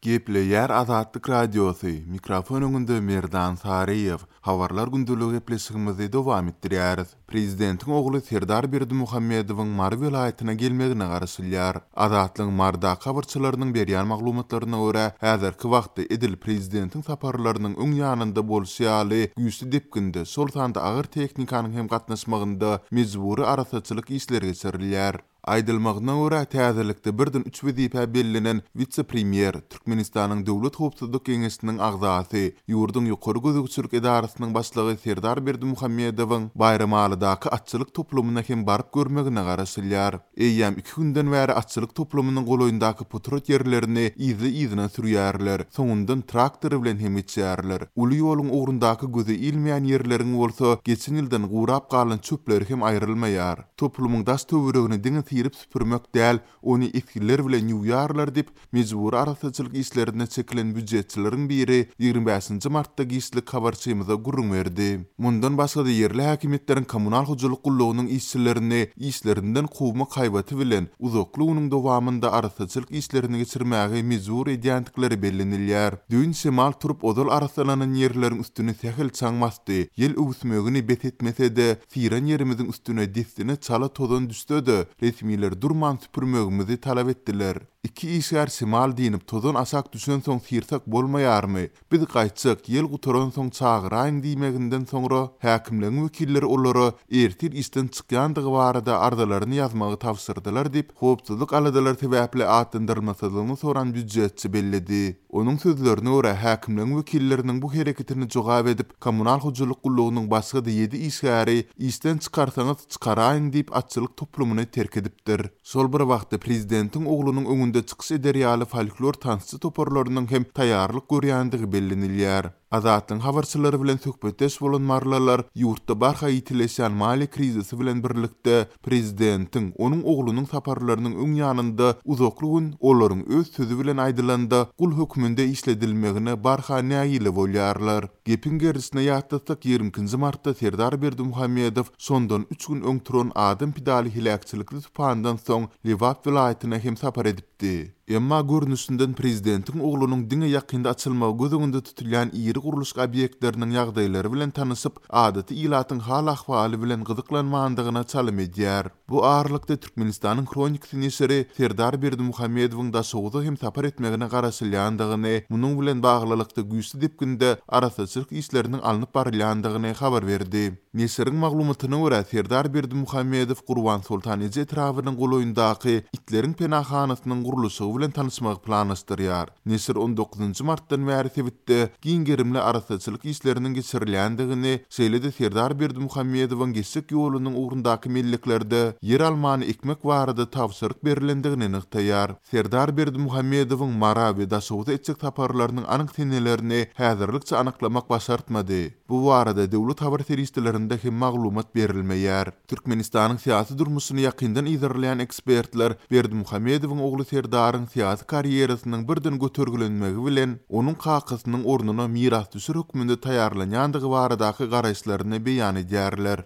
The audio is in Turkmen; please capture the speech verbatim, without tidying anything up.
Gepleýär Azatlyk Radiosy, mikrofon öňünde Merdan Saryýew. Habarlar gündeligi gepleşigimizi dowam etdirýäris. Prezidentiň ogly Serdar Berdimuhamedowyň Mary welaýatyna gelmegine garaşylýar. Azatlygyň Marydaky habarçylarynyň berýän maglumatlaryna görä, häzirki wagtda edil prezidentiň saparlarynyň öň ýanynda bolşy ýaly güýçli depginde, şol sanda agyr tehnikanyň hem gatnaşmagynda mejbury arassaçylyk işleri geçirilýär. Aýdylmagyna görä, täzelikde birden üç wezipä bellenen wise-premýer, Türkmenistanyň Döwlet howpsuzlyk geňeşiniň agzasy, ýurduň ýokary gözegçilik edarasynyň başlygy Serdar Berdimuhamedowyň Baýramalydaky atçylyk toplumyna hem baryp görmegine garaşylýar. Eýýäm iki günden bäri atçylyk toplumynyň golaýyndaky potrat ýerlerini yzly-yzyna sürýärler, soňundan traktor bilen hem geçýärler. Uly ýoluň ugrundaky göze ilmeýän ýerleriň bolsa geçen ýyldan gurap galan çöpleri hem aýrylmaýar. Toplumyň daş töweregini diňe syryp süpürmek däl, ony esgiler bilen ýuwýarlar diýip, mejbury arassaçylyk işlerine çekilen býujetçileriň biri ýigrimi bäşinji martda giçlik habarçymyza gürrüň berdi. Mundan başga-da ýerli häkimiýetleriň kommunal hojalyk gullugynyň işçilerini işlerinden kowmak haýbaty bilen uzakly günüň dowamynda arassaçylyk işlerini geçirmäge mejbur edýändikleri bellenilýär. Düýn şemal turup ozal arassalanan ýerleriň üstüni sähel çaň basdy. Ýel öwüsmegini bes etmese-de, syran ýerimiziň üstüne dessine çala tozan düşse-de, resmiler durman süpürmegimizi talap etdiler. Iki işgär şemal diýnip tozan aşak düşensoň syrsak bolmaýarmy? Biz gaýtjak, ýel gutaransoň çagyraýyň diýmeginden soňra häkimligiň wekilleri olara ertir işden çykýandygy barada arzalaryny ýazmagy tabşyrdylar diýip, howpsuzlyk aladalary sebäpli atlandyrylmasyzlygyny soran býujetçi belledi. Onuň sözlerine görä, häkimligiň wekilleriniň bu hereketini jogap edip, kommunal hojalyk gullugynyň başga-da ýedi işgäri işden çykarsaňyz çykaraýyň diýip atçylyk toplumyny terk edipdir. Şol bir wagtda prezidentiň oglunyň öňünde çykyş eder ýaly folklor tansçy toparlarynyň hem taýýarlyk görýändigi bellenilýär. Azatlygyň habarçylary bilen söhbetdeş bolan marylylar ýurtda barha ýitileşýän maliýe krizisi bilen birlikde prezidentiň, onuň oglunyň saparlarynyň öň ýanynda uzakly gün olaryň öz sözi bilen aýdylanda gul hökmünde işledilmegine barha nägile bolýarlar. Gepiň gerdişine ýatlatsak, ýigrimi ikinji martda Serdar Berdimuhamedow şondan üç gün öň turan adam pidaly heläkçilikli tupandan soň Lebap welaýatyna hem sapar edipdi. Emma görnüşinden prezidentiň oglunyň diňe ýakynda açylmagy göz öňünde tutulýan iri gurluşyk obýektleriniň ýagdaýlary bilen tanyşyp, adaty ilatyň hal-ahwaly bilen gyzyklanmandygyna çalym edýär. Bu aralykda Türkmenistanyň Hronikasy neşiri Serdar Berdimuhamedowyň Daşoguza hem sapar etmegine garaşylýandygyny, munuň bilen baglylykda güýçli depginde arassaçylyk işleriniň alnyp barylýandygyny habar berdi. Neşiriň maglumatyna görä, Serdar Berdimuhamedow Gurbansoltan eje etrabynyň golaýyndaky itleriň penahanasynyň gurluşygy bilen tanyşmagy planlaşdyrýar. Neşir on dokuzynjy martdan bäri sebitde giň gerimli arassaçylyk işleriniň geçirilýändigini, şeýle-de Serdar Berdimuhamedowyň geçjek ýolunyň ugrundaky melleklerde ýer almany ekmek barada tabşyryk berilendigini nygtaýar. Serdar Berdimuhamedowyň Mara we Daşoguza etjek saparlarynyň anyk senelerini häzirlikçe anyklamak başartmady. Bu barada döwlet habar serişdelerinde hem maglumat berilmeýär. Türkmenistanyň syýasy durmuşyny ýakyndan yzarlaýan ekspertler Berdimuhamedowyň ogly Serdaryň syýasy karýerasynyň birden götergilenmegi bilen onuň kakasynyň ornuna mirasdüşer hökmünde taýýarlanýandygy baradaky garaýyşlaryny beýan edýärler.